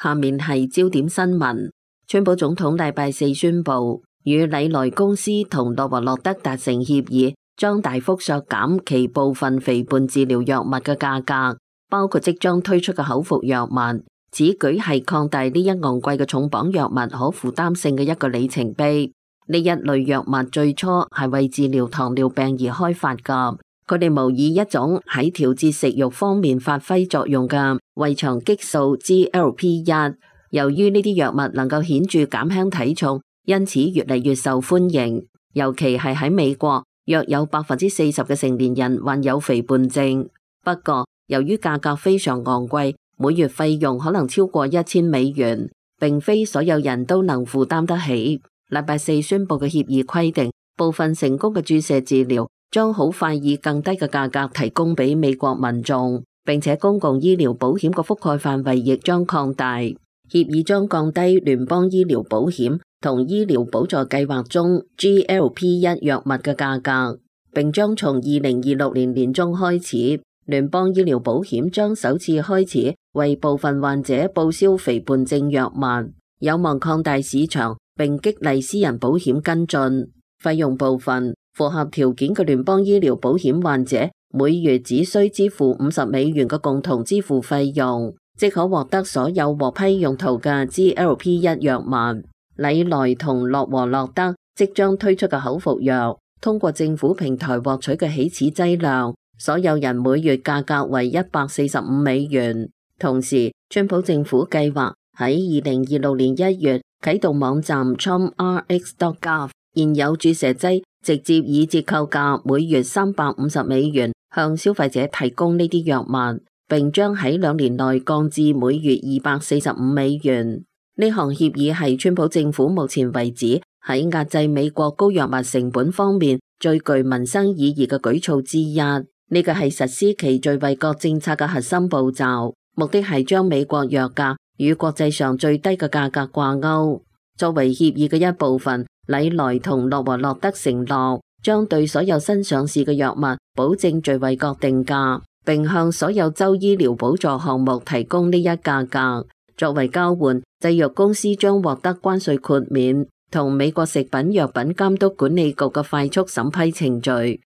下面係焦點新聞。川普總統禮拜四宣布，與禮來公司同諾華諾德達成協議，將大幅削減其部分肥胖治療藥物嘅價格，包括即將推出嘅口服藥物。此舉係擴大呢一昂貴嘅重磅藥物可負擔性嘅一個里程碑。呢一類藥物最初係為治療糖尿病而開發㗎，佢哋模擬一種喺調節食慾方面發揮作用嘅胃腸激素 GLP-1。由於呢啲藥物能夠顯著減輕體重，因此越嚟越受歡迎。尤其係喺美國，約有40%嘅成年人患有肥胖症。不過，由於價格非常昂貴，每月費用可能超過$1000，並非所有人都能負擔得起。禮拜四宣布嘅協議規定，部分成功嘅注射治療將好快以更低嘅價格提供俾美國民眾，並且公共醫療保險嘅覆蓋範圍亦將擴大。協議將降低聯邦醫療保險同醫療補助計劃中 GLP-1 藥物嘅價格，並將從2026年年中開始，聯邦醫療保險將首次開始為部分患者報銷肥胖症藥物，有望擴大市場並激勵私人保險跟進。費用部分，符合條件嘅聯邦醫療保險患者每月只需支付$50嘅共同支付費用，即可獲得所有獲批用途嘅 GLP-1 藥物。禮來同諾和諾德即將推出嘅口服藥，通過政府平台獲取嘅起始劑量，所有人每月價格為$145。同時，川普政府計劃喺2026年1月啟動網站 TrumpRx.gov， 現有注射劑直接以折扣價每月$350向消費者提供呢啲藥物，並將喺2年內降至每月$245。呢項協議係川普政府目前為止喺壓制美國高藥物成本方面最具民生意義嘅舉措之一。呢個係實施其最惠國政策嘅核心步驟，目的係將美國藥價與國際上最低嘅價格掛鈎。作為協議嘅一部分，禮來同諾和諾德承諾將對所有新上市嘅藥物保證最惠國定價，並向所有州醫療補助項目提供呢一價格。作為交換，製藥公司將獲得關稅豁免同美國食品藥品監督管理局嘅快速審批程序。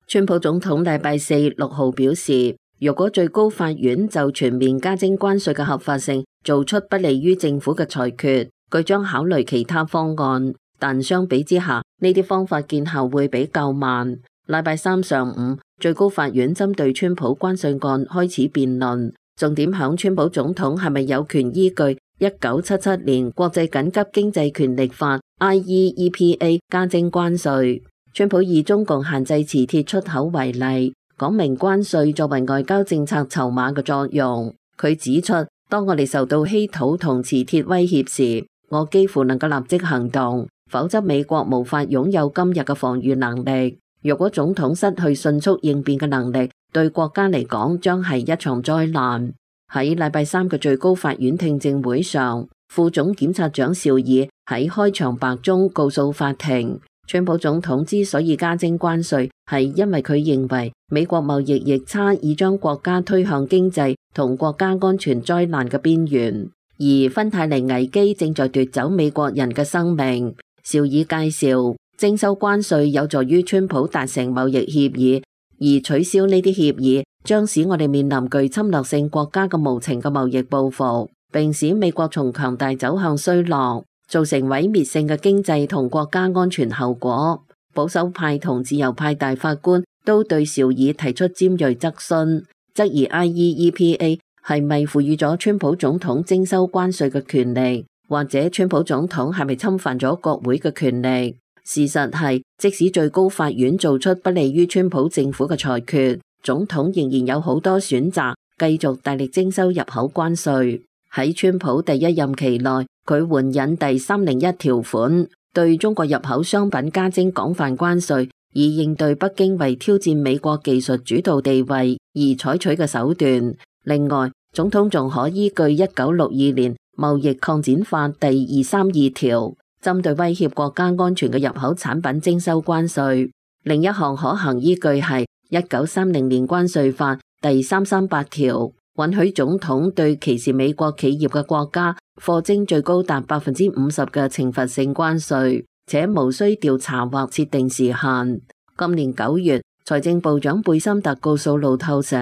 川普總統禮拜四6號表示，如果最高法院就全面加徵關稅嘅合法性做出不利於政府嘅裁決，佢將考慮其他方案，但相比之下，呢啲方法見效會比較慢。禮拜三上午，最高法院針對川普關稅案開始辯論，重點響川普總統係咪有權依據1977年國際緊急經濟權力法 IEEPA 加徵關稅。川普以中共限制磁鐵出口為例，講明關稅作為外交政策籌碼嘅作用。佢指出，當我哋受到稀土同磁鐵威脅時，我幾乎能夠立即行動，否則美國無法擁有今日嘅防禦能力。如果總統失去迅速應變嘅能力，對國家嚟講將係一場災難。喺禮拜三嘅最高法院聽證會上，副總檢察長紹爾喺開場白中告訴法庭，川普總統之所以加徵關稅，係因為佢認為美國貿易逆差已將國家推向經濟同國家安全災難嘅邊緣，而芬太尼危機正在奪走美國人嘅生命。紹爾介紹，徵收關稅有助於川普達成貿易協議，而取消呢啲協議將使我哋面臨具侵略性國家嘅無情嘅貿易報復，並使美國從強大走向衰落，造成毀滅性嘅經濟同國家安全後果。保守派同自由派大法官都對紹爾提出尖銳質詢，質疑 IEEPA 係咪賦予咗川普總統徵收關稅嘅權力，或者川普總統係咪侵犯咗國會嘅權力。事實係，即使最高法院做出不利於川普政府嘅裁決，總統仍然有好多選擇，繼續大力徵收入口關稅。喺川普第一任期內，佢援引第301條款，對中國入口商品加徵廣泛關稅，以應對北京為挑戰美國技術主導地位而採取嘅手段。另外，總統仲可依據1962年貿易擴展法第232條，針對威脅國家安全嘅入口產品徵收關稅。另一項可行依據係1930年關稅法第338條，允許總統對歧視美國企業嘅國家課徵最高達50%嘅懲罰性關稅，且無需調查或設定時限。今年9月，財政部長貝森特告訴路透社，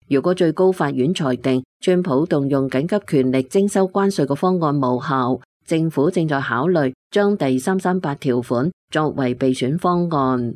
如果最高法院裁定川普動用緊急權力徵收關稅嘅方案無效，政府正在考慮將第338條款作為備選方案。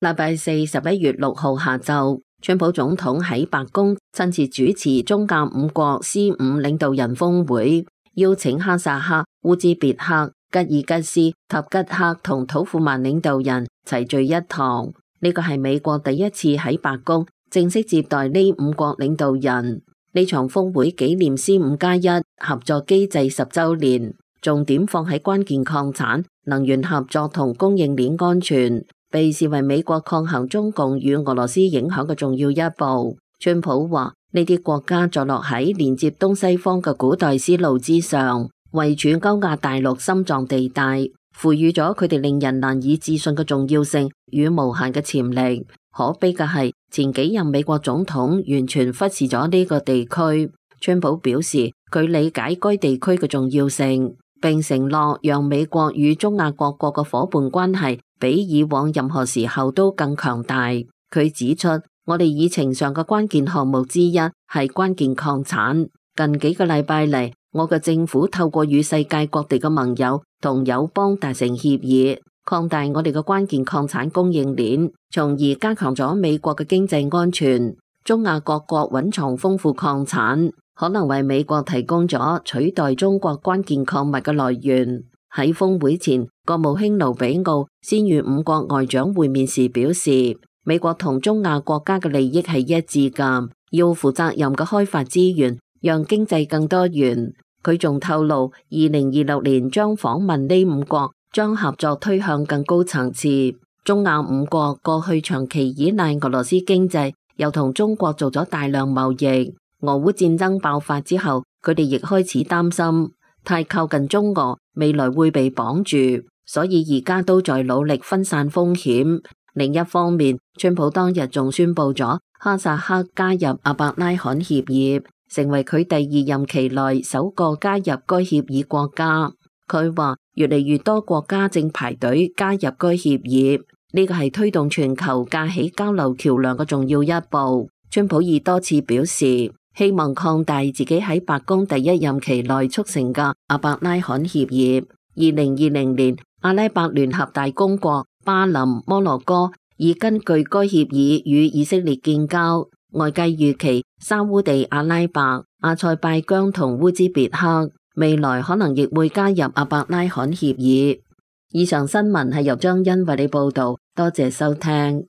禮拜四11月6號下晝，川普總統喺白宮親自主持中亞5國 C5 領導人峰會，邀請哈薩克、烏茲別克、吉爾吉斯、塔吉克同土庫曼領導人齊聚一堂。呢個係美國第一次喺白宮正式接待呢5國領導人。呢場峰會紀念 C5+1 合作機制10週年，重點放喺關鍵礦產、能源合作同供應鏈安全，被視為美國抗衡中共與俄羅斯影響嘅重要一步。川普話：呢啲國家坐落喺連接東西方嘅古代絲路之上，位處歐亞大陸心臟地帶，賦予咗佢哋令人難以置信嘅重要性與無限嘅潛力。可悲嘅係，前幾任美國總統完全忽視咗呢個地區。川普表示，佢理解該地區嘅重要性，並承諾讓美國與中亞各國嘅夥伴關係比以往任何時候都更強大。佢指出，我哋議程上嘅關鍵項目之一係關鍵礦產。近幾個禮拜嚟，我嘅政府透過與世界各地嘅盟友同友邦達成協議，擴大我哋嘅關鍵礦產供應鏈，從而加強咗美國嘅經濟安全。中亞各國蘊藏豐富礦產，可能為美國提供咗取代中國關鍵礦物嘅來源。喺峰會前，國務卿盧比奧先與5國外長會面時表示，美國同中亞國家嘅利益係一致㗎，要負責任嘅開發資源，讓經濟更多元。佢仲透露，2026年將訪問呢5國，將合作推向更高層次。中亞5國過去長期依賴俄羅斯經濟，又同中國做咗大量貿易。俄烏戰爭爆發之後，佢哋亦開始擔心太靠近中俄，未來會被綁住，所以而家都在努力分散風險。另一方面，川普當日仲宣布咗哈薩克加入阿伯拉罕協議，成為佢第2任期內首個加入該協議國家。佢話越嚟越多國家正排隊加入該協議，呢個係推動全球架起交流橋樑嘅重要一步。川普已多次表示，希望擴大自己喺白宮第1任期內促成嘅阿伯拉罕協議。2020年，阿拉伯聯合大公國、巴林、摩洛哥已根據該協議與以色列建交。外界預期沙烏地阿拉伯、阿塞拜疆同烏茲別克未來可能亦會加入阿伯拉罕協議。以上新聞係由張欣為你報道，多謝收聽。